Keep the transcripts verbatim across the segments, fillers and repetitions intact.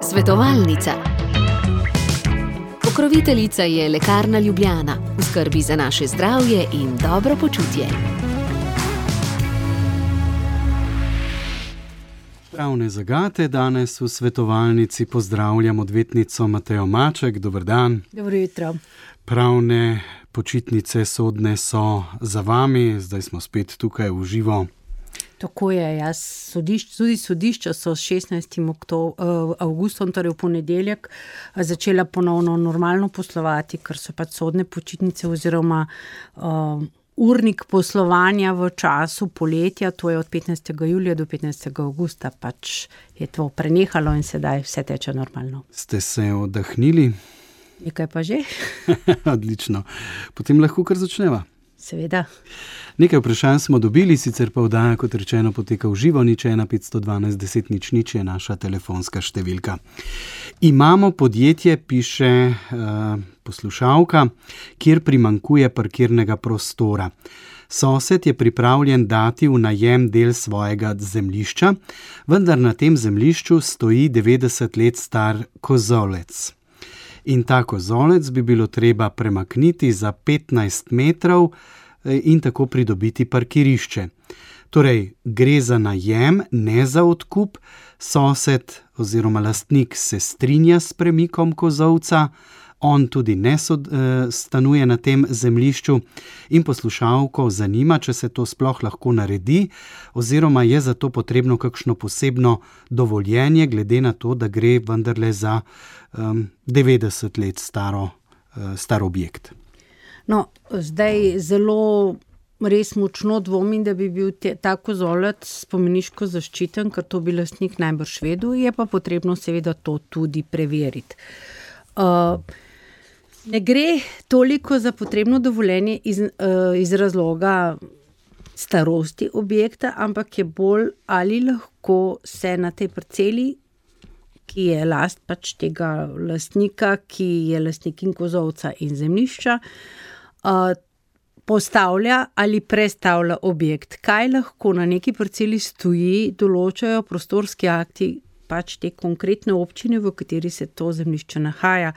Svetovalnica. Pokroviteljica je Lekarna Ljubljana, v skrbi za naše zdravje in dobro počutje. Pravne zagate danes v svetovalnici pozdravljam odvetnico Matejo Maček. Dober dan. Dobro jutro. Pravne počitnice sodne so za vami, zdaj smo spet tukaj v živo. Tako je, jaz sodišč, tudi sodišča so s šestnajstim avgustom, torej v ponedeljek, začela ponovno normalno poslovati, ker so pač sodne počitnice oziroma uh, urnik poslovanja v času poletja, to je od petnajstega julija do petnajstega avgusta, pač je to prenehalo in sedaj vse teče normalno. Ste se oddahnili? Nekaj pa že. Odlično. Potem lahko kar začneva. Seveda. Nekaj vprašanj smo dobili, sicer pa oddaja, kot rečeno, poteka v živo, nič ena petsto dvanajst deset nič nič je naša telefonska številka. Imamo podjetje, piše uh, poslušalka, kjer primanjkuje parkirnega prostora. Sosed je pripravljen dati v najem del svojega zemljišča, vendar na tem zemljišču stoji devetdeset let star kozolec. In ta kozolec bi bilo treba premakniti za petnajst metrov in tako pridobiti parkirišče. Torej, gre za najem, ne za odkup. Sosed oziroma lastnik se strinja s premikom kozolca, on tudi ne sod, eh, stanuje na tem zemljišču in poslušalko zanima, če se to sploh lahko naredi oziroma je za to potrebno kakšno posebno dovoljenje, glede na to, da gre vendarle za um, devetdeset let staro, uh, star objekt. No, zdaj zelo res močno dvomim, da bi bil te, ta kozolec spomeniško zaščiten, ker to bi lastnik najbrž vedel, je pa potrebno seveda to tudi preveriti. Uh, Ne gre toliko za potrebno dovoljenje iz, uh, iz razloga starosti objekta, ampak je bolj, ali lahko se na tej parceli, ki je last pač tega lastnika, ki je lastnik in kozolca in zemljišča, uh, postavlja ali prestavlja objekt. Kaj lahko na neki parceli stoji, določajo prostorski akti pač te konkretne občine, v kateri se to zemljišče nahaja.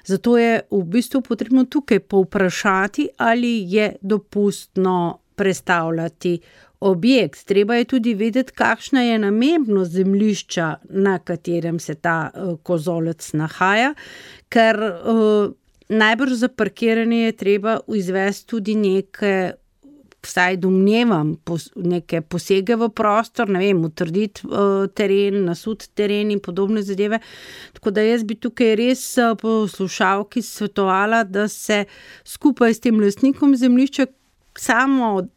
Zato je v bistvu potrebno tukaj povprašati, ali je dopustno prestavljati objekt. Treba je tudi vedeti, kakšna je namembnost zemljišča, na katerem se ta uh, kozolec nahaja, ker uh, najbrž za parkiranje je treba izvesti tudi neke, vsaj domnevam, pos, neke posege v prostor, ne vem, utrditi uh, teren, nasut teren in podobne zadeve. Tako da jaz bi tukaj res uh, poslušalki svetovala, da se skupaj s tem lastnikom zemljišča samo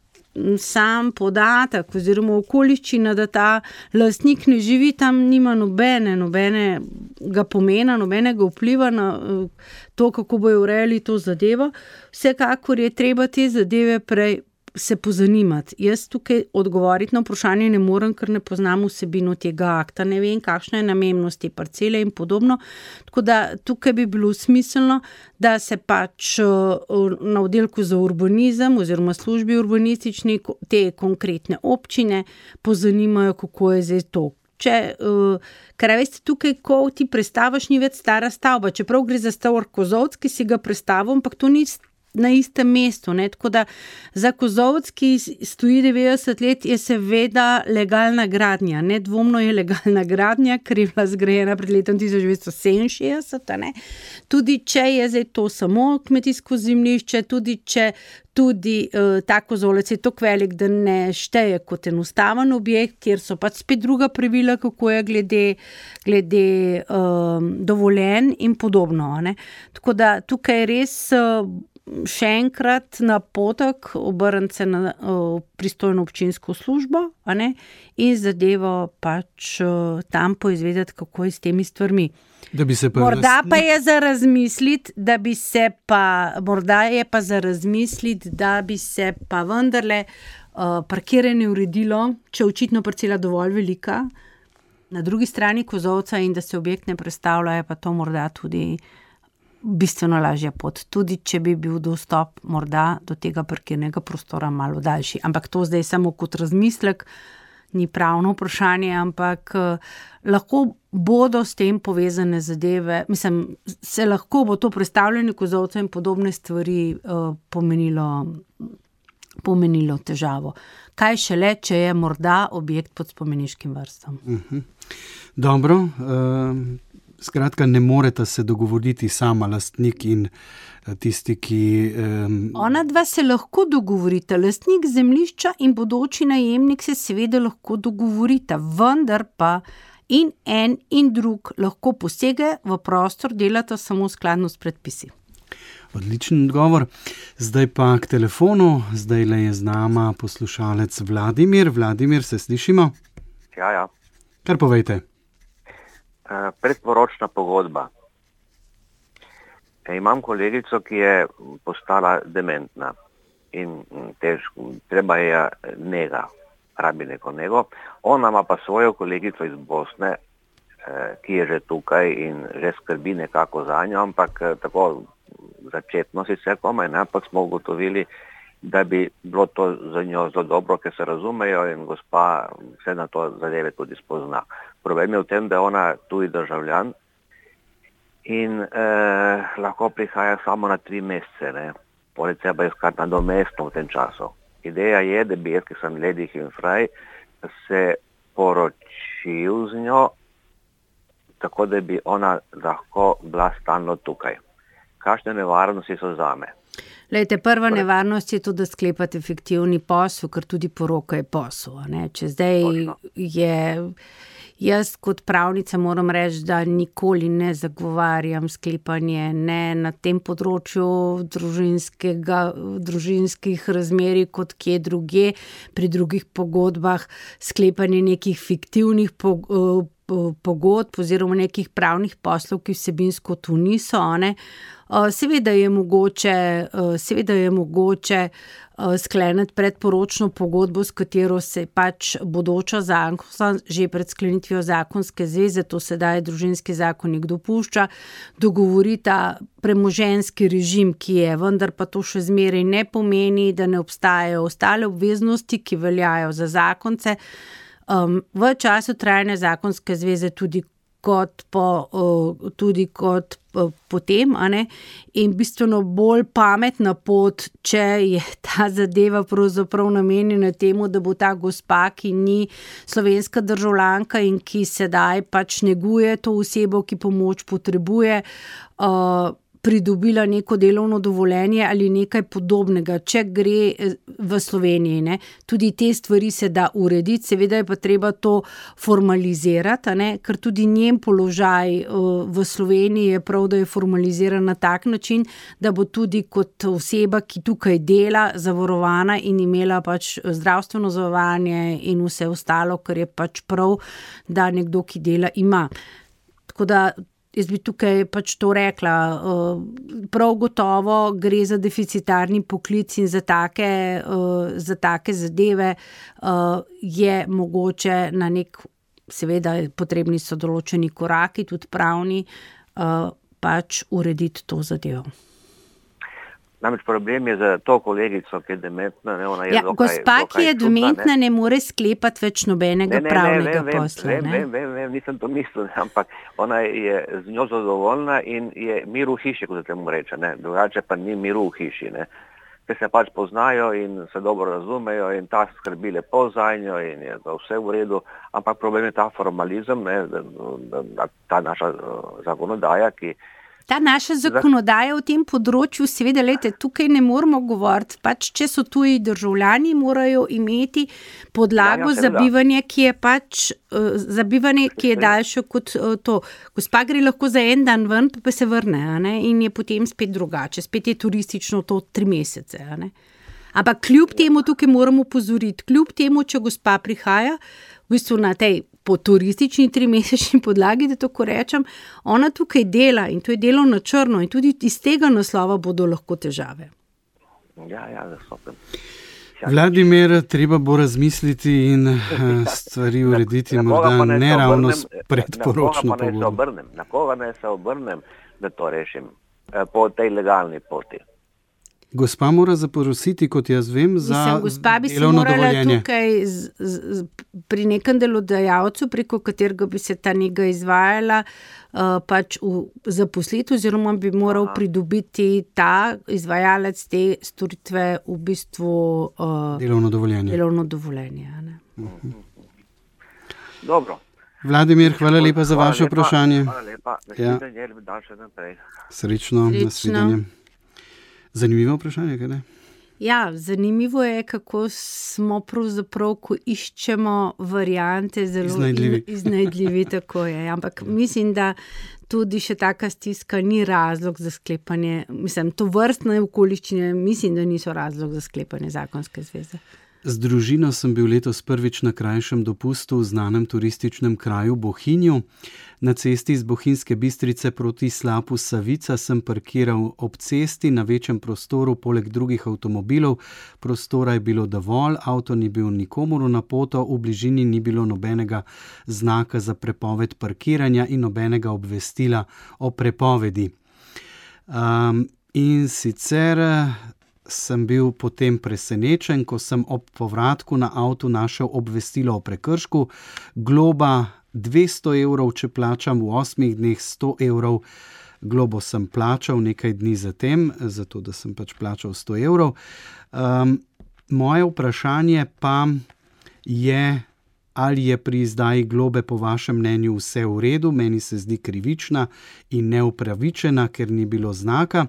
sam podatek oziroma okoliščina, da ta lastnik ne živi tam, nima nobene, nobenega pomena, nobenega vpliva na uh, to, kako bojo urejali to zadevo. Vsekakor je treba te zadeve prej se pozanimati. Jaz tukaj odgovoriti na vprašanje ne morem, ker ne poznam vsebino tega akta, ne vem, kakšna je namembnost te parcele in podobno. Tako da tukaj bi bilo smiselno, da se pač na oddelku za urbanizem oziroma službi urbanistični te konkretne občine pozanimajo, kako je zdaj to. Če, uh, ker veste, tukaj, ko ti prestavaš, ni več stara stavba, čeprav gre za star kozolec, ki si ga prestavil, ampak to ni na istem mestu, ne? Tako da za kozolec, ki stoji devetdeset let, je seveda legalna gradnja, nedvomno je legalna gradnja, ker je bila zgrajena pred letom tisoč devetsto sedeminšestdeset, ne? Tudi če je zdaj to samo kmetijsko zemljišče, tudi če tudi uh, ta kozolec je tako velik, da ne šteje kot enostaven objekt, kjer so pač spet druga pravila, kako je glede, glede um, dovoljenj in podobno, ne? Tako da tukaj res uh, še enkrat napotek, obrniti se na uh, pristojno občinsko službo, a ne, in zadevo pač uh, tam poizvedeti, kako je s temi stvarmi. Da bi se pa morda lastnik... pa je za razmisliti, da bi se pa, morda je pa za razmisliti, da bi se pa vendarle uh, parkiranje uredilo, če očitno parcela dovolj velika, na drugi strani kozolca in da se objekt ne prestavlja, je pa to morda tudi bistveno lažja pot, tudi če bi bil dostop morda do tega parkirnega prostora malo daljši. Ampak to zdaj samo kot razmislek, ni pravno vprašanje, ampak lahko bodo s tem povezane zadeve, mislim, se lahko bo to prestavljanje kozolcev in podobne stvari uh, pomenilo, pomenilo težavo. Kaj šele, če je morda objekt pod spomeniškim vrstom. Uh-huh. Dobro, uh, skratka, ne moreta se dogovoriti sama lastnik in tisti, ki... Um... Ona dva se lahko dogovorita, lastnik zemljišča in bodoči najemnik se seveda lahko dogovorita, vendar pa in en in drug lahko posege v prostor, delata samo skladno s predpisi. Odličen odgovor. Zdaj pa k telefonu, zdaj le je z nama poslušalec Vladimir. Vladimir, se slišimo? Ja, ja. Kar povejte. Uh, predporočna pogodba. E, imam kolegico, ki je postala dementna in težko, treba je nega, rabi neko nego. Ona ima pa svojo kolegico iz Bosne, eh, ki je že tukaj in že skrbi nekako za njo, ampak eh, tako začetno sicer komaj, ne, ampak smo ugotovili, da bi bilo to za njo zelo dobro, ker se razumejo in gospa vse na to zadeve tudi spozna. Problem je v tem, da je ona tuji državljan in eh, lahko prihaja samo na tri mesece, ne. Poleg treba iskati nadomestno v tem času. Ideja je, da bi jaz, ki sem ledig in fraj, se poročil z njo, tako da bi ona lahko bila stalno tukaj. Kakšne nevarnosti so zame? Lejte, prva nevarnost je to, da sklepate fiktivni posel, ker tudi poroka je posel. Ne? Če zdaj Točno. je... Jaz kot pravnica moram reči, da nikoli ne zagovarjam sklepanje ne na tem področju družinskih razmerij kot kje druge, pri drugih pogodbah, sklepanje nekih fiktivnih pogodb oziroma nekih pravnih poslov, ki vsebinsko tu niso. Ne? Seveda je mogoče, seveda je mogoče skleniti predporočno pogodbo, s katero se pač bodoča zakon, že pred sklenitvijo zakonske zveze, to sedaj družinski zakonik dopušča, dogovorita premoženjski režim, ki je, vendar pa to še zmeraj ne pomeni, da ne obstajajo ostale obveznosti, ki veljajo za zakonce. Um, v času trajanja zakonske zveze tudi kot po, uh, tudi kot uh, potem, a ne? In bistveno bolj pametna pot, če je ta zadeva pravzaprav namenjena temu, da bo ta gospa, ki ni slovenska državljanka in ki sedaj pač neguje to osebo, ki pomoč potrebuje, uh, pridobila neko delovno dovoljenje ali nekaj podobnega, če gre v Sloveniji. Ne? Tudi te stvari se da urediti, seveda je pa treba to formalizirati, ne? Ker tudi njen položaj v Sloveniji je prav, da je formaliziran na tak način, da bo tudi kot oseba, ki tukaj dela, zavarovana in imela pač zdravstveno zavarovanje in vse ostalo, kar je pač prav, da nekdo, ki dela, ima. Tako da jaz bi tukaj pač to rekla, prav gotovo gre za deficitarni poklic in za take, za take zadeve je mogoče na nek, seveda potrebni so določeni koraki, tudi pravni, pač urediti to zadevo. Namreč problem je za to kolegico, ki je dementna. Ne, ona je ja, dokaj, gospa, dokaj ki je čudna, dementna, ne, ne more sklepati več nobenega ne, ne, pravnega ne, vem, posla. Vem, vem, vem, vem, nisem to mislil, ampak ona je z njo zadovoljna in je mir v hiši, kot se temu reče. Ne. Drugače pa ni miru v hiši. Ne. Ker se pač poznajo in se dobro razumejo in ta skrbi lepo za njo in je vse v redu, ampak problem je ta formalizem, ne, da, da, da, ta naša uh, zakonodaja, ki Ta naša zakonodaja v tem področju, seveda, lejte, tukaj ne moramo govoriti, pač če so tuji državljani, morajo imeti podlago ja, ja, za bivanje, ki je pač, uh, za bivanje, ki je daljše kot uh, to. Gospa gre lahko za en dan ven, pa se vrne, a ne, in je potem spet drugače, spet je turistično to tri mesece, a ne. Ampak kljub temu tukaj moramo opozoriti, kljub temu, če gospa prihaja, v bistvu na tej po turistični trimesečni podlagi, da tako rečem, ona tukaj dela in to je delo na črno in tudi iz tega naslova bodo lahko težave. Ja, ja, zasopem. Vladimir, treba bo razmisliti in stvari urediti, na, na morda ne, ne ravno s predporočno pogodbo. Na koga ne se obrnem, da to rešim po tej legalni poti? Gospa mora zaprositi, kot jaz vem, za Mislim, gospa bi delovno se morala dovoljenje. tukaj z, z, pri nekem delodajalcu, preko katerega bi se ta nega izvajala, uh, pač v zaposlitev, oziroma bi moral Aha. pridobiti ta izvajalec te storitve v bistvu uh, Delovno dovoljenje. delovno dovoljenje. a Ne? Dobro. Vladimir, hvala lepa za Hvala vaše lepa, vprašanje. Hvala lepa. Nasvidenje, ja. Dan še naprej. Srečno, Srečno. nasvidenje. Zanimivo vprašanje, kaj ne? Ja, zanimivo je, kako smo pravzaprav, ko iščemo variante, zelo Iznajdljivi. in- iznajdljivi, tako je. Ampak mislim, da tudi še taka stiska ni razlog za sklepanje, mislim, to vrstne okoliščine, mislim, da niso razlog za sklepanje zakonske zveze. Z družino sem bil letos prvič na krajšem dopustu v znanem turističnem kraju Bohinju. Na cesti iz Bohinjske Bistrice proti slapu Savica sem parkiral ob cesti na večjem prostoru, poleg drugih avtomobilov. Prostora je bilo dovolj, avto ni bil nikomur na poto, v bližini ni bilo nobenega znaka za prepoved parkiranja in nobenega obvestila o prepovedi. Um, in sicer sem bil potem presenečen, ko sem ob povratku na avtu našel obvestilo o prekršku. Globa dvesto evrov, če plačam v osmih dneh sto evrov. Globo sem plačal nekaj dni zatem, zato da sem pač plačal sto evrov. Um, moje vprašanje pa je, ali je pri izdaji globe po vašem mnenju vse v redu. Meni se zdi krivična in neupravičena, ker ni bilo znaka.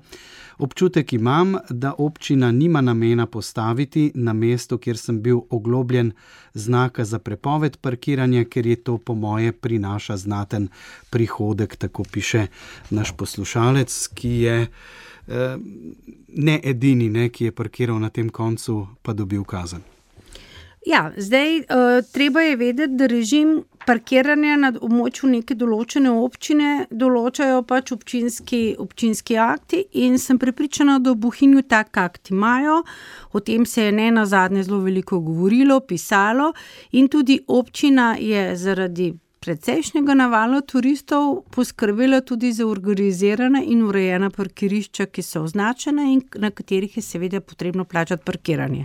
Občutek imam, da občina nima namena postaviti na mesto, kjer sem bil oglobljen, znaka za prepoved parkiranja, ker je to po moje prinaša znaten prihodek, tako piše naš poslušalec, ki je eh, ne edini, ne, ki je parkiral na tem koncu, pa dobil kazen. Ja, zdaj uh, treba je vedeti, da režim parkiranja na območju neke določene občine določajo pač občinski, občinski akti in sem prepričana, da v Bohinju tak akt imajo. O tem se je ne nazadnje zelo veliko govorilo, pisalo in tudi občina je zaradi precejšnjega navala turistov poskrbela tudi za organizirana in urejena parkirišča, ki so označena in na katerih je seveda potrebno plačati parkiranje.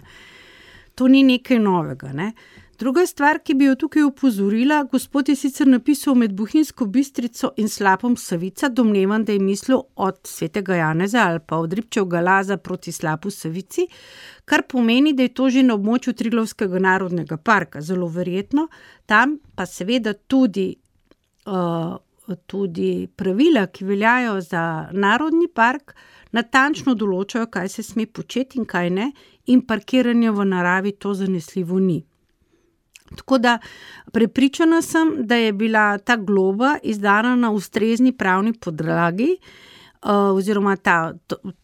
To ni nekaj novega. Ne? Druga stvar, ki bi jo tukaj upozorila, gospod je sicer napisal med Bohinjsko Bistrico in slapom Savica, domnevam, da je mislil od Svetega Janeza ali pa od Ribčevega Laza proti slapu Savici, kar pomeni, da je to že na območju Triglavskega narodnega parka, zelo verjetno. Tam pa seveda tudi, uh, tudi pravila, ki veljajo za narodni park, natančno določajo, kaj se sme početi in kaj ne, in parkiranje v naravi to zanesljivo ni. Tako da prepričana sem, da je bila ta globa izdana na ustrezni pravni podlagi, oziroma ta,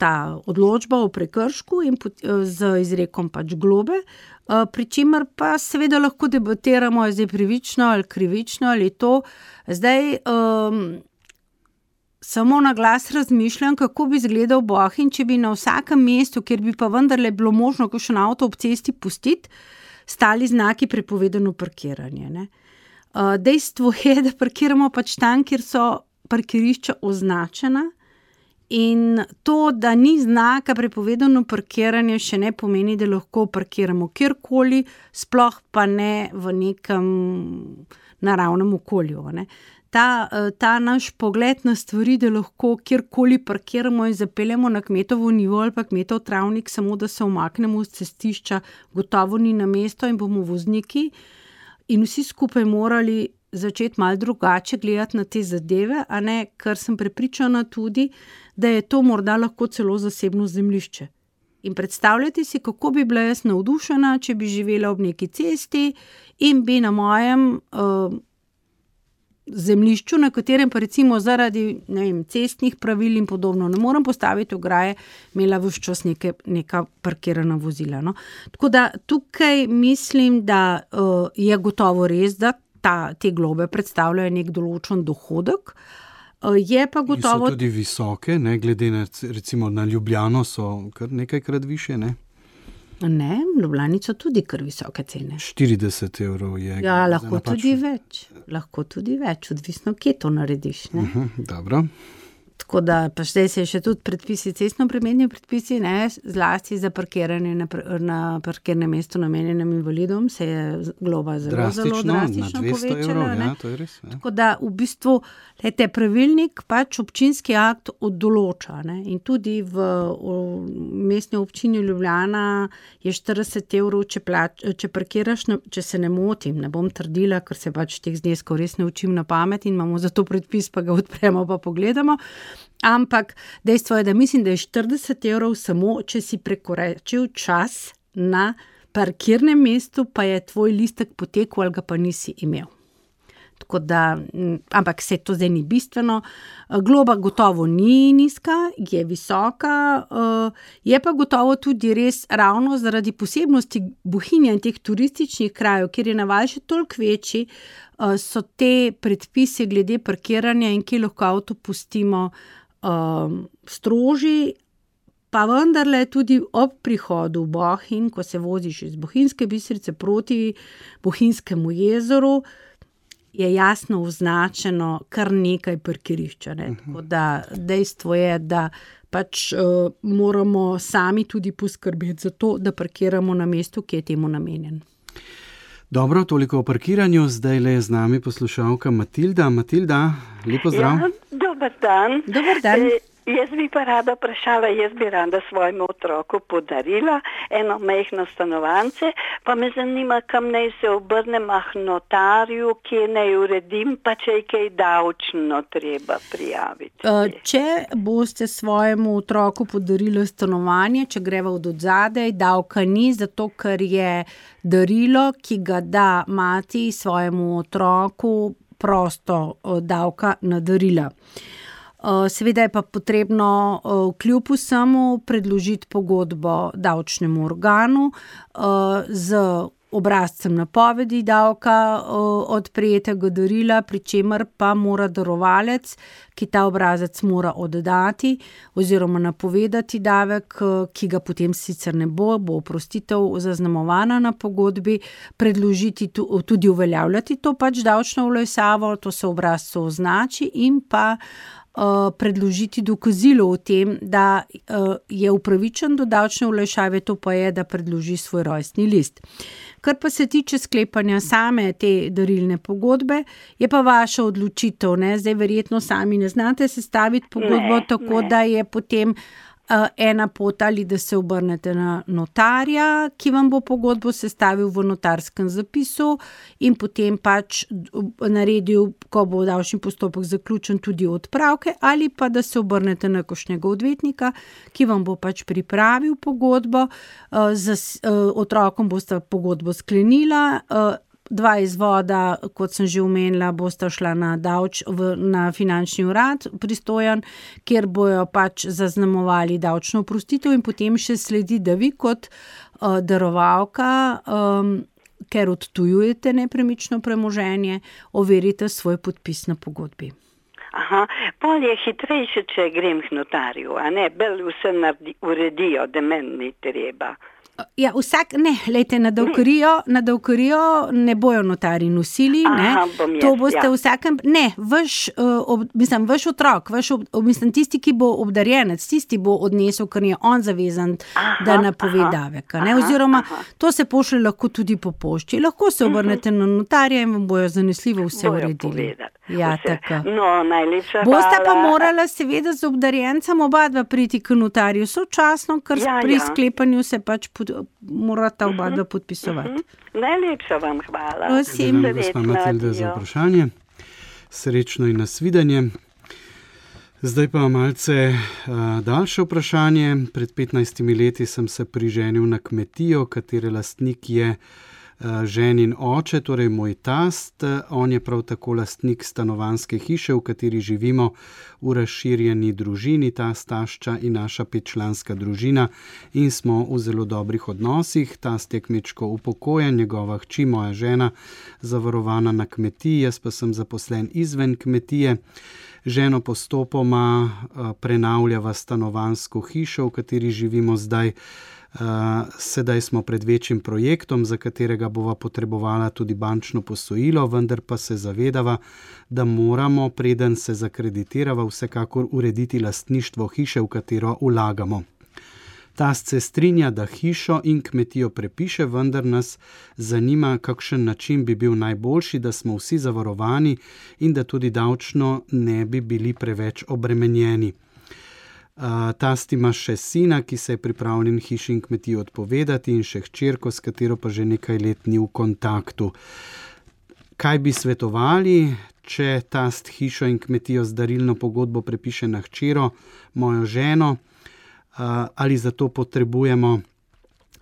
ta odločba o prekršku in z izrekom pač globe, pri čemer pa seveda lahko debatiramo, je zdaj pravično ali krivično ali to. Zdaj um, samo na glas razmišljam, kako bi izgledal Bohinj, če bi na vsakem mestu, kjer bi pa vendarle bilo možno kakšen avto ob cesti pustiti, stali znaki prepovedano parkiranje. Ne? Uh, dejstvo je, da parkiramo pač tam, kjer so parkirišča označena in to, da ni znaka prepovedano parkiranje, še ne pomeni, da lahko parkiramo kjerkoli, sploh pa ne v nekem naravnem okolju. Ne? Ta, ta naš pogled na stvari, da lahko kjerkoli parkiramo in zapeljemo na kmetovo nivo ali pa kmetov travnik, samo da se umaknemo z cestišča, gotovo ni na mesto in bomo vozniki in vsi skupaj morali začeti malo drugače gledati na te zadeve, a ne, ker sem prepričana tudi, da je to morda lahko celo zasebno zemljišče. In predstavljajte si, kako bi bila jaz navdušena, če bi živela ob neki cesti in bi na mojem uh, zemljišču, na katerem pa recimo zaradi ne vem, cestnih pravil in podobno ne morem postaviti ograje, imela vse čas neke, neka parkirana vozila. No? Tako da tukaj mislim, da uh, je gotovo res, da ta, te globe predstavljajo nek določen dohodek. Uh, je pa gotovo... In so tudi visoke, ne? Glede na, recimo na Ljubljano so kar nekajkrat više, ne? Ne, v Ljubljani so tudi kar visoke cene. štirideset evrov je. Ja, lahko tudi več. Lahko tudi več, odvisno, kje to narediš. Ne? Uh-huh, dobro. tako da, pa zdaj se še tudi predpisi, cestnoprometni predpisi, ne, zlasti za parkiranje na, na parkirnem mestu namenjenem invalidom, se je globa zelo, drastično, zelo drastično povečala. Evrov, ja, to je res, ja. Tako da v bistvu lejte, pravilnik pač občinski akt oddoloča, ne, in tudi v, v mestni občini Ljubljana je štirideset evrov, če, plač, če parkiraš, če se ne motim, ne bom trdila, ker se pač teh zneskov res ne učim na pamet in imamo za to predpis, pa ga odpremo pa pogledamo. Ampak dejstvo je, da mislim, da je štirideset evrov samo, če si prekoračil čas na parkirnem mestu, pa je tvoj listek potekel ali ga pa nisi imel. Tako da, ampak se to zdaj ni bistveno. Globa gotovo ni nizka, je visoka, je pa gotovo tudi res ravno zaradi posebnosti Bohinja in teh turističnih krajev, kjer je naval še toliko večji, so te predpisi glede parkiranja in kje lahko avto pustimo strožji, pa vendarle tudi ob prihodu v Bohinj, ko se voziš iz Bohinjske Bistrice proti Bohinjskemu jezeru, je jasno označeno kar nekaj parkirišča. Ne? Tako da dejstvo je, da pač uh, moramo sami tudi poskrbeti za to, da parkiramo na mestu, ki je temu namenjen. Dobro, toliko o parkiranju. Zdaj le je z nami poslušalka Matilda. Matilda, lepo zdrav. Ja, dober dan. Dober dan. E, jaz bi pa rada vprašala, jaz bi rada svojemu otroku podarila eno majhno stanovance, pa me zanima, kam naj se obrnem ah notarju, kje naj uredim, pa če je kaj davčno treba prijaviti. Če boste svojemu otroku podarili stanovanje, če greva od odzadej, davka ni, zato ker je darilo, ki ga da mati svojemu otroku, prosto davka na darila. Seveda je pa potrebno kljub vsemu predložiti pogodbo davčnemu organu z obrazcem napovedi davka od prejetega darila, pri čemer pa mora darovalec, ki ta obrazec mora oddati oziroma napovedati davek, ki ga potem sicer ne bo, bo oprostitev zaznamovana na pogodbi, predložiti tudi uveljavljati to pač davčno olajšavo, to se obrazcu označi in pa predložiti dokazilo o tem, da je upravičen do davčne olajšave, to pa je, da predloži svoj rojstni list. Kar pa se tiče sklepanja same te darilne pogodbe, je pa vaša odločitev, ne? Zdaj verjetno sami ne znate sestaviti pogodbo, ne, tako ne. Da je potem uh, ena pot ali da se obrnete na notarja, ki vam bo pogodbo sestavil v notarskem zapisu in potem pač naredil, ko bo davčni postopek zaključen, tudi odpravke, ali pa da se obrnete na kakšnega odvetnika, ki vam bo pač pripravil pogodbo, uh, z uh, otrokom boste pogodbo sklenila, uh, dva izvoda, kot sem že omenila, bosta šla na davč, v, na finančni urad pristojen, kjer bojo pač zaznamovali davčno oprostitev in potem še sledi, da vi kot uh, darovalka, um, ker odtujujete nepremično premoženje, overite svoj podpis na pogodbi. Aha, bolj je hitrejše, če grem k notarju, a ne, bolj vse naredi, uredijo, da meni ni treba. Ja, vsak, ne, lejte, na davkarijo, na davkarijo ne bojo notari nosili, ne, Aha, bom jaz, to boste ja. vsakem, ne, vaš, uh, ob, mislim, vaš otrok, vaš, ob, mislim, tisti, ki bo obdarjenec, tisti bo odnesel, ker je on zavezan, aha, da napove davek, ne, oziroma aha. To se pošlje lahko tudi po pošti, lahko se obrnete uh-huh. na notarja in vam bojo zanesljivo vse bojo uredili. Povedati. Ja, tako. No, najlepša hvala. Boste pa morala seveda z obdarjencem oba dva priti k notarju sočasno, ker ja, pri ja. sklepanju se pač pod, morata oba dva podpisovati. Uh-huh. Najlepša vam hvala. Vsem gospa Matilda za vprašanje. Srečno in nasvidenje. Zdaj pa malce uh, daljše vprašanje. Pred petnajstimi leti sem se priženil na kmetijo, katere lastnik je ženin oče, torej moj tast. On je prav tako lastnik stanovanjske hiše, v kateri živimo v razširjeni družini, tast, tašča in naša petčlanska družina in smo v zelo dobrih odnosih. Tast je kmečko upokojen, njegova hči, moja žena, zavarovana na kmetiji, jaz pa sem zaposlen izven kmetije. Ženo postopoma prenavljava stanovanjsko hišo, v kateri živimo zdaj. Sedaj smo pred večjim projektom, za katerega bova potrebovala tudi bančno posojilo, vendar pa se zavedava, da moramo, preden se zakreditirava, vsekakor urediti lastništvo hiše, v katero vlagamo. Tast se strinja, da hišo in kmetijo prepiše, vendar nas zanima, kakšen način bi bil najboljši, da smo vsi zavarovani in da tudi davčno ne bi bili preveč obremenjeni. Tast ima še sina, ki se je pripravljen hiši in kmetijo odpovedati, in še hčerko, s katero pa že nekaj let ni v kontaktu. Kaj bi svetovali, če tast hišo in kmetijo z darilno pogodbo prepiše na hčero, mojo ženo, ali zato potrebujemo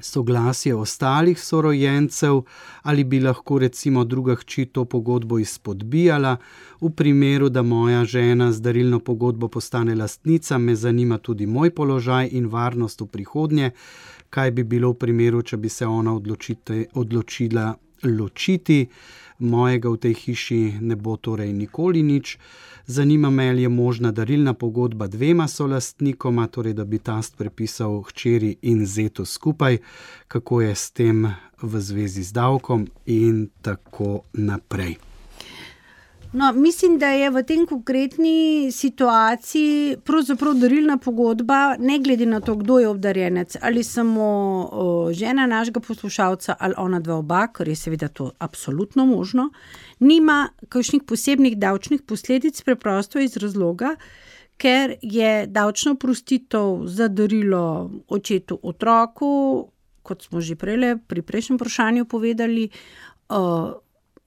soglasje ostalih sorojencev, ali bi lahko recimo druga hči to pogodbo izpodbijala. V primeru, da moja žena z darilno pogodbo postane lastnica, me zanima tudi moj položaj in varnost v prihodnje. Kaj bi bilo v primeru, če bi se ona odločite, odločila ločiti? Mojega v tej hiši ne bo torej nikoli nič. Zanima me, ali je možna darilna pogodba dvema solastnikoma, torej da bi tast prepisal hčeri in zetu skupaj, kako je s tem v zvezi z davkom in tako naprej. No, mislim, da je v tem konkretni situaciji pravzaprav darilna pogodba, ne glede na to, kdo je obdarjenec, ali samo o, žena našega poslušalca ali ona dva oba, ker je seveda to absolutno možno, nima kakšnih posebnih davčnih posledic, preprosto iz razloga, ker je davčna oprostitev za darilo očetu otroku, kot smo že prej pri prejšnjem vprašanju povedali, o,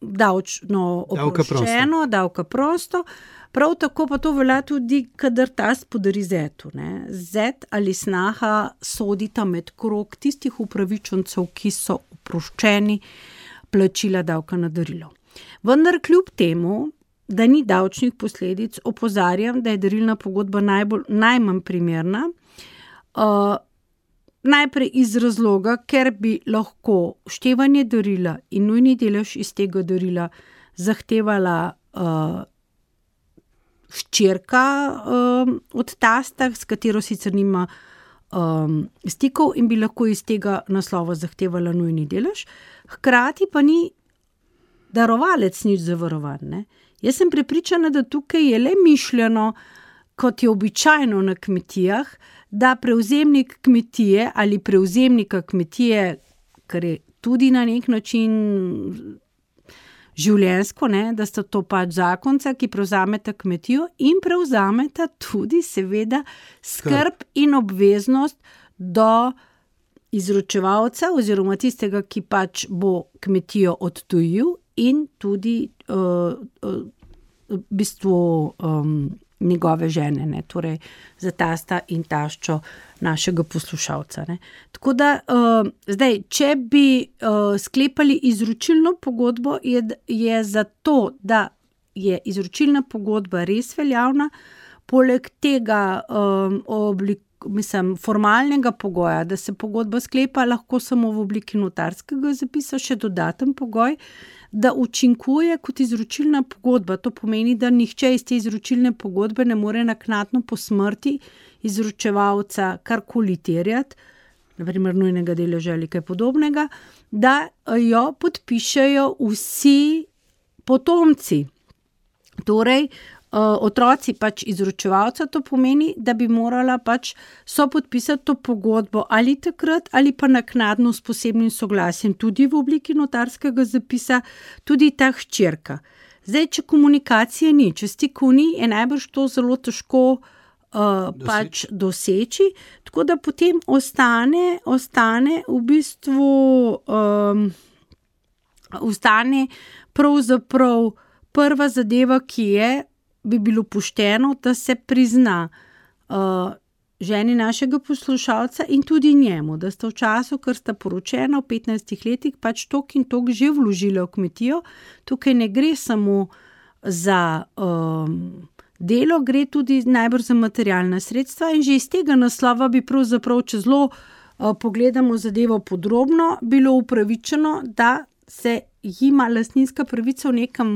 davčno oproščeno, davka prosto. Prav tako pa to velja tudi, kadar tast podari zetu. Ne. Zet ali snaha sodita med krog tistih upravičencev, ki so oproščeni plačila davka na darilo. Vendar kljub temu, da ni davčnih posledic, opozarjam, da je darilna pogodba najbolj, najmanj primerna, uh, najprej iz razloga, ker bi lahko števanje darila in nujni delež iz tega darila zahtevala uh, hčerka uh, od tasta, s katero sicer nima um, stikov in bi lahko iz tega naslova zahtevala nujni delež. Hkrati pa ni darovalec nič zavarovan. Ne? Jaz sem prepričana, da tukaj je le mišljeno, kot je običajno na kmetijah, da prevzemnik kmetije ali prevzemnika kmetije, kar je tudi na nek način življenjsko, ne, da sta to pač zakonca, ki prevzameta kmetijo in prevzameta tudi seveda skrb in obveznost do izročevalca oziroma tistega, ki pač bo kmetijo odtujil in tudi uh, uh, v bistvu um, njegove žene, ne, torej za tasta in taščo našega poslušalca. Ne. Tako da, uh, zdaj, če bi uh, sklepali izročilno pogodbo, je, je zato, da je izročilna pogodba res veljavna, poleg tega um, oblik, mislim, formalnega pogoja, da se pogodba sklepa lahko samo v obliki notarskega zapisa, še dodaten pogoj, da učinkuje kot izročilna pogodba. To pomeni, da nihče iz te izročilne pogodbe ne more naknadno po smrti izročevalca karkoli terjati, naprimer nujnega deleža ali kaj podobnega, da jo podpišejo vsi potomci. Torej, otroci pač izročevalca, to pomeni, da bi morala pač so podpisati to pogodbo ali takrat ali pa naknadno s posebnim soglasjem tudi v obliki notarskega zapisa, tudi ta hčerka. Zdaj, če komunikacije ni, če stikov ni, je najbrž to zelo težko uh, pač doseči, tako da potem ostane, ostane v bistvu um, ostane pravzaprav prva zadeva, ki je, bi bilo pošteno, da se prizna uh, ženi našega poslušalca in tudi njemu, da sta v času, ker sta poročena v petnajstih letih, pač tok in tok že vložila v kmetijo. Tukaj ne gre samo za um, delo, gre tudi najbrž za materialna sredstva in že iz tega naslova bi pravzaprav, če zelo uh, pogledamo zadevo podrobno, bilo upravičeno, da se jima lastninska pravica v nekem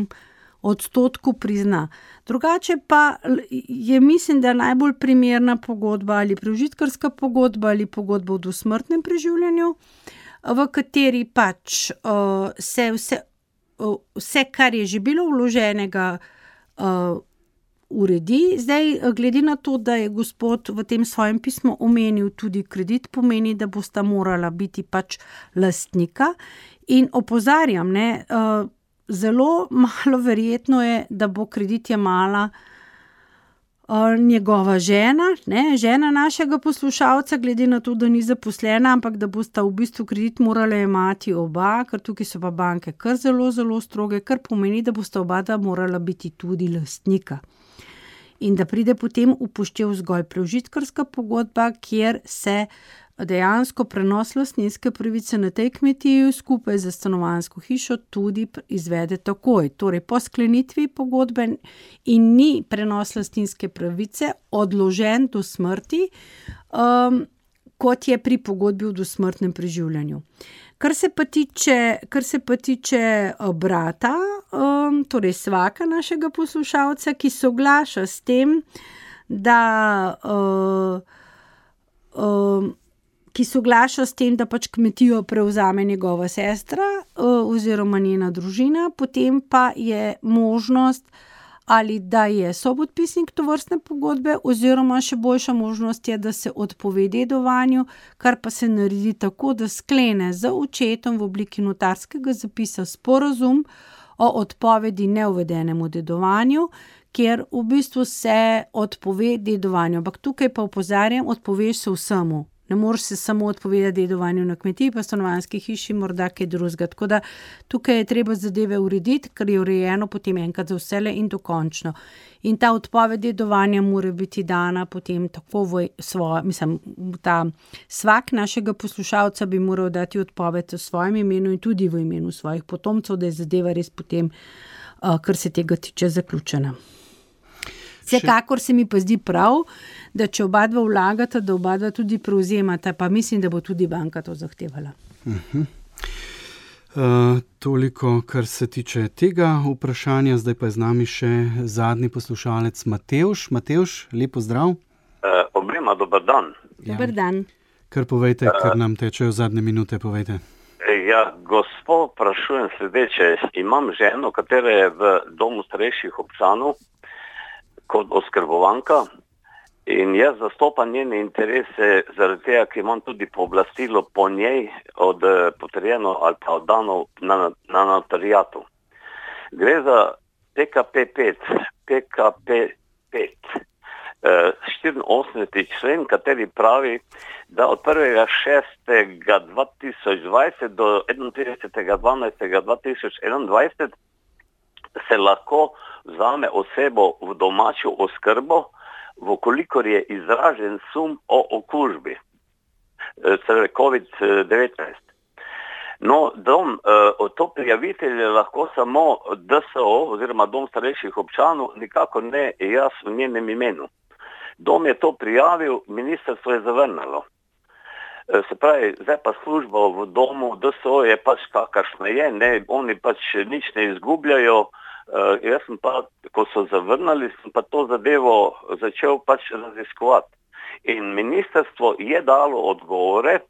odstotku prizna. Drugače pa je, mislim, da najbolj primerna pogodba ali prežitkarska pogodba ali pogodba o dosmrtnem preživljanju, v kateri pač uh, se vse, uh, vse, kar je že bilo vloženega, uh, uredi. Zdaj, glede na to, da je gospod v tem svojem pismu omenil tudi kredit, pomeni, da bosta morala biti pač lastnika. In opozarjam, ne, uh, zelo malo verjetno je, da bo kredit jemala uh, njegova žena, ne, žena našega poslušalca, glede na to, da ni zaposlena, ampak da bosta v bistvu kredit morala jemati oba, ker tukaj so pa banke kar zelo, zelo stroge, kar pomeni, da bosta oba da morala biti tudi lastnika. In da pride potem upoštev zgolj preužitkarska pogodba, kjer se dejansko prenos lastninske pravice na tej kmetiji skupaj z stanovanjsko hišo tudi izvede takoj. Torej po sklenitvi pogodbe in ni prenos lastninske pravice odložen do smrti, um, kot je pri pogodbi o dosmrtnem preživljanju. Kar se pa tiče, kar se pa tiče brata, um, torej svaka našega poslušalca, ki soglaša s tem, da uh, um, ki soglaša s tem, da pač kmetijo prevzame njegova sestra uh, oziroma njena družina, potem pa je možnost ali da je sobodpisnik tovrstne pogodbe, oziroma še boljša možnost je, da se odpove dedovanju, kar pa se naredi tako, da sklene z očetom v obliki notarskega zapisa sporazum o odpovedi neuvedenemu dedovanju, kjer v bistvu se odpove dedovanju. Ampak tukaj pa opozarjam, odpoveš se vsemu. Ne moreš se samo odpovedati dedovanju na kmetiji, pa stanovanjski hiši, morda kaj drugega. Tako da tukaj je treba zadeve urediti, ker je urejeno potem enkrat za vsele in dokončno. In ta odpoved dedovanja mora biti dana potem tako v svojo, mislim, ta svak našega poslušalca bi moral dati odpoved v svojem imenu in tudi v imenu svojih potomcev, da je zadeva res potem, uh, kar se tega tiče, zaključena. Vsekakor se mi pa zdi prav, da če oba dva vlagata, da oba dva tudi prevzemata, pa mislim, da bo tudi banka to zahtevala. Uh-huh. Uh, toliko, kar se tiče tega vprašanja. Zdaj pa je z nami še zadnji poslušalec Matevž. Matevž, lepo zdrav. Uh, obema, dober dan. Ja. Dober dan. Kar povejte, uh, ker nam tečejo zadnje minute, povejte. Ja, gospod, vprašujem sledeče. Imam ženo, katera je v domu starejših občanov kot oskrbovanka in jaz zastopam njene interese zaradi tega, ker imam tudi pooblastilo po njej od potrjeno ali pa oddano na, na notarijatu. Gre za P K P pet, P K P pet, štiriinosemdeseti člen, kateri pravi, da od prvega šestega dva tisoč dvajset do enaintridesetega dvanajstega dva tisoč enaindvajset se lahko vzame osebo v domačo oskrbo, vkolikor je izražen sum o okužbi, torej covid devetnajst. No, dom, to prijavitelj je lahko samo D S O oziroma dom starejših občanov, nikako ne jaz v njenem imenu. Dom je to prijavil, ministrstvo je zavrnilo. Se pravi, zdaj pa služba v domu D S O je pač kakršna je, ne, oni pač nič ne izgubljajo. Uh, jaz sem pa, ko so zavrnili, sem pa to zadevo začel pač raziskovati. In ministrstvo je dalo odgovore,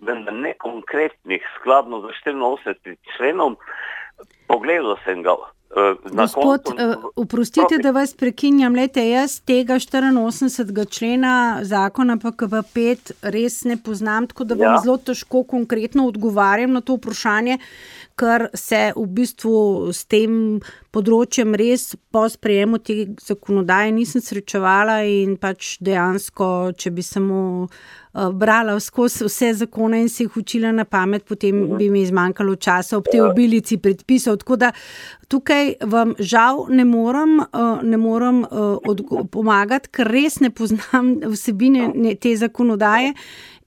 vendar ne konkretnih, skladno za štiriinosemdesetim členom. Pogledal sem ga. Uh, Gospod, koncu, uh, oprostite, da vas prekinjam. Lejte, jaz tega štiriinosemdesetega člena zakona P K P pet res ne poznam, tako da vam ja. zelo težko konkretno odgovarjam na to vprašanje, ker se v bistvu s tem področjem res po sprejemu te zakonodaje nisem srečevala in pač dejansko, če bi samo uh, brala skozi vse zakone in se jih učila na pamet, potem uh-huh. bi mi izmanjkalo časa ob tej obilici predpisov. Tako da tukaj vam žal ne morem, uh, ne morem uh, odgo- pomagati, ker res ne poznam vsebine ne, te zakonodaje.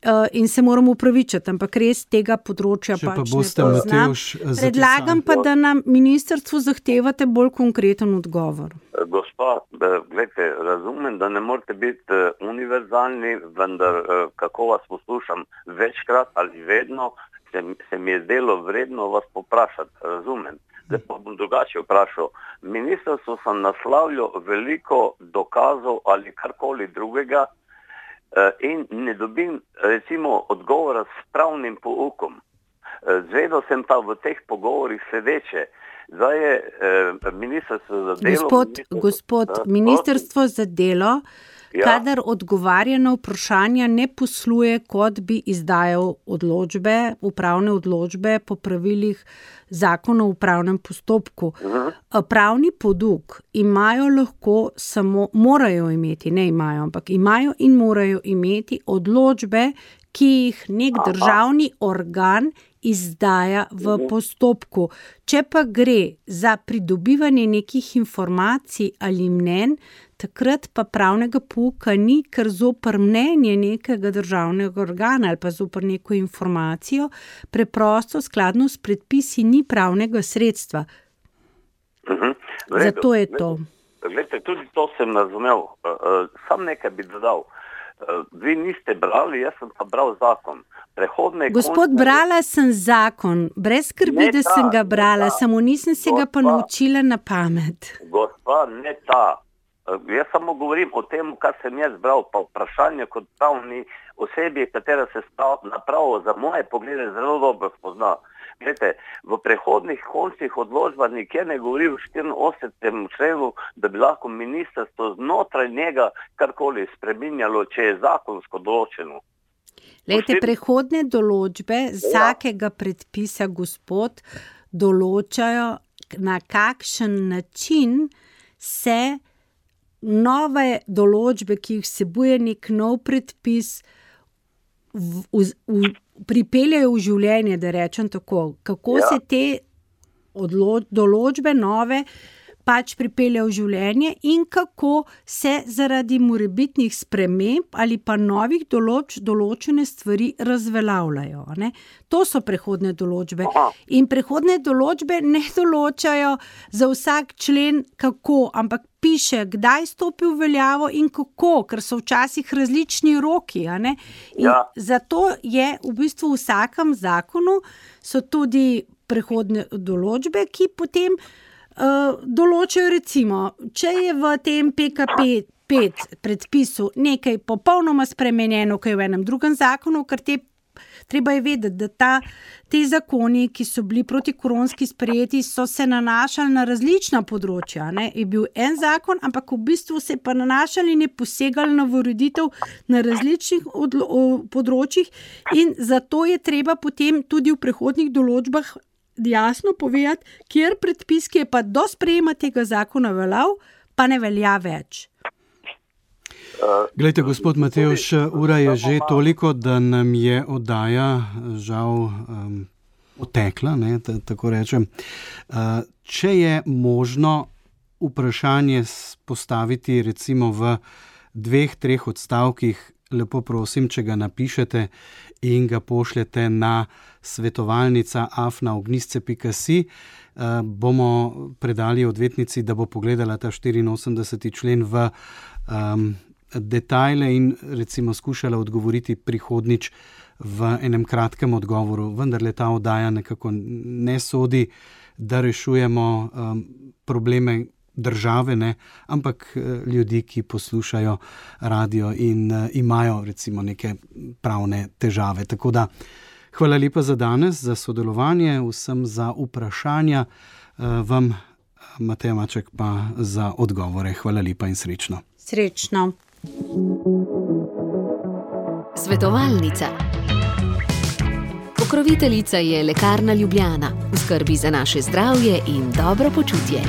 Uh, in se moramo upravičiti, ampak res tega področja Če pač pa boste, ne poznam. Predlagam pa, da na ministrstvu zahtevate bolj konkreten odgovor. Gospa, gledajte, razumem, da ne morete biti univerzalni, vendar kako vas poslušam večkrat ali vedno, se, se mi je zdelo vredno vas poprašati, razumem. Zdaj pa bom drugače vprašal. Ministrstvo sem naslavljal veliko dokazov ali karkoli drugega in ne dobim recimo odgovora s pravnim poukom. Zvedel sem pa v teh pogovorih sledeče. Zdaj je ministrstvo za delo... Gospod, ministrstvo, gospod da, ministrstvo za delo, ja. kadar odgovarja na vprašanja, ne posluje, kot bi izdajal odločbe, upravne odločbe po pravilih zakona o upravnem postopku. Uh-huh. Pravni poduk imajo lahko samo, morajo imeti, ne imajo, ampak imajo in morajo imeti odločbe, ki jih nek državni organ izdaja v postopku. Če pa gre za pridobivanje nekih informacij ali mnenj, takrat pa pravnega pouka ni, ker zoper mnenje nekega državnega organa ali pa zoper neko informacijo preprosto skladno s predpisi ni pravnega sredstva. Uh-huh. Zato je to. Glejte, tudi to sem razumel. Sam nekaj bi dodal. Vi niste brali, jaz sem pa bral zakon. Prehodne Gospod, končne... brala sem zakon, brez skrbi, da sem ga brala, samo nisem se ga pa naučila na pamet. Gospa, ne ta. Jaz samo govorim o tem, kar sem jaz bral, pa vprašanje kot pravni osebi, katera se napravo za moje poglede zelo dobro spozna. Glede, v prehodnih končnih odločbah nikjer ne govori v štiriinosemdesetem členu, da bi lahko ministrstvo znotraj njega karkoli spreminjalo, če je zakonsko določeno. Lejte, prehodne določbe vsakega predpisa, gospod, določajo, na kakšen način se nove določbe, ki jih vsebuje nek nov predpis, v, v, v, pripeljajo v življenje, da rečem tako. Kako ja. se te odlo, določbe nove pač pripeljajo v življenje in kako se zaradi morebitnih sprememb ali pa novih določb določene stvari razveljavljajo. Ne? To so prehodne določbe. Aha. In prehodne določbe ne določajo za vsak člen kako, ampak piše, kdaj stopi v veljavo in kako, ker so včasih različni roki. A ne? In ja. zato je v bistvu v vsakem zakonu so tudi prehodne določbe, ki potem uh, določajo recimo, če je v tem P K P pet predpisu nekaj popolnoma spremenjeno, kaj je v enem drugem zakonu, ker te treba je vedeti, da ta, te zakoni, ki so bili protikoronski sprejeti, so se nanašali na različna področja. Ne? Je bil en zakon, ampak v bistvu se pa nanašali in je posegali na ureditev na različnih odlo- področjih in zato je treba potem tudi v prehodnih določbah jasno povedati, kjer predpis, ki je pa do sprejema tega zakona veljal, pa ne velja več. Glejte, gospod Matevž, ura je že toliko, da nam je oddaja žal um, otekla, ne, t- tako rečem. Uh, če je možno vprašanje postaviti recimo v dveh, treh odstavkih, lepo prosim, če ga napišete in ga pošljete na svetovalnica afna ognjisce pika si, uh, bomo predali odvetnici, da bo pogledala ta štiriinosemdeseti člen v um, detajle in recimo skušala odgovoriti prihodnič v enem kratkem odgovoru. Vendar le ta oddaja nekako ne sodi, da rešujemo um, probleme države, ne, ampak ljudi, ki poslušajo radio in uh, imajo recimo neke pravne težave. Tako da hvala lepa za danes, za sodelovanje, vsem za vprašanja, uh, vam Mateja Maček pa za odgovore. Hvala lepa in srečno. Srečno. Svetovalnica. Pokroviteljica je Lekarna Ljubljana, v skrbi za naše zdravje in dobro počutje.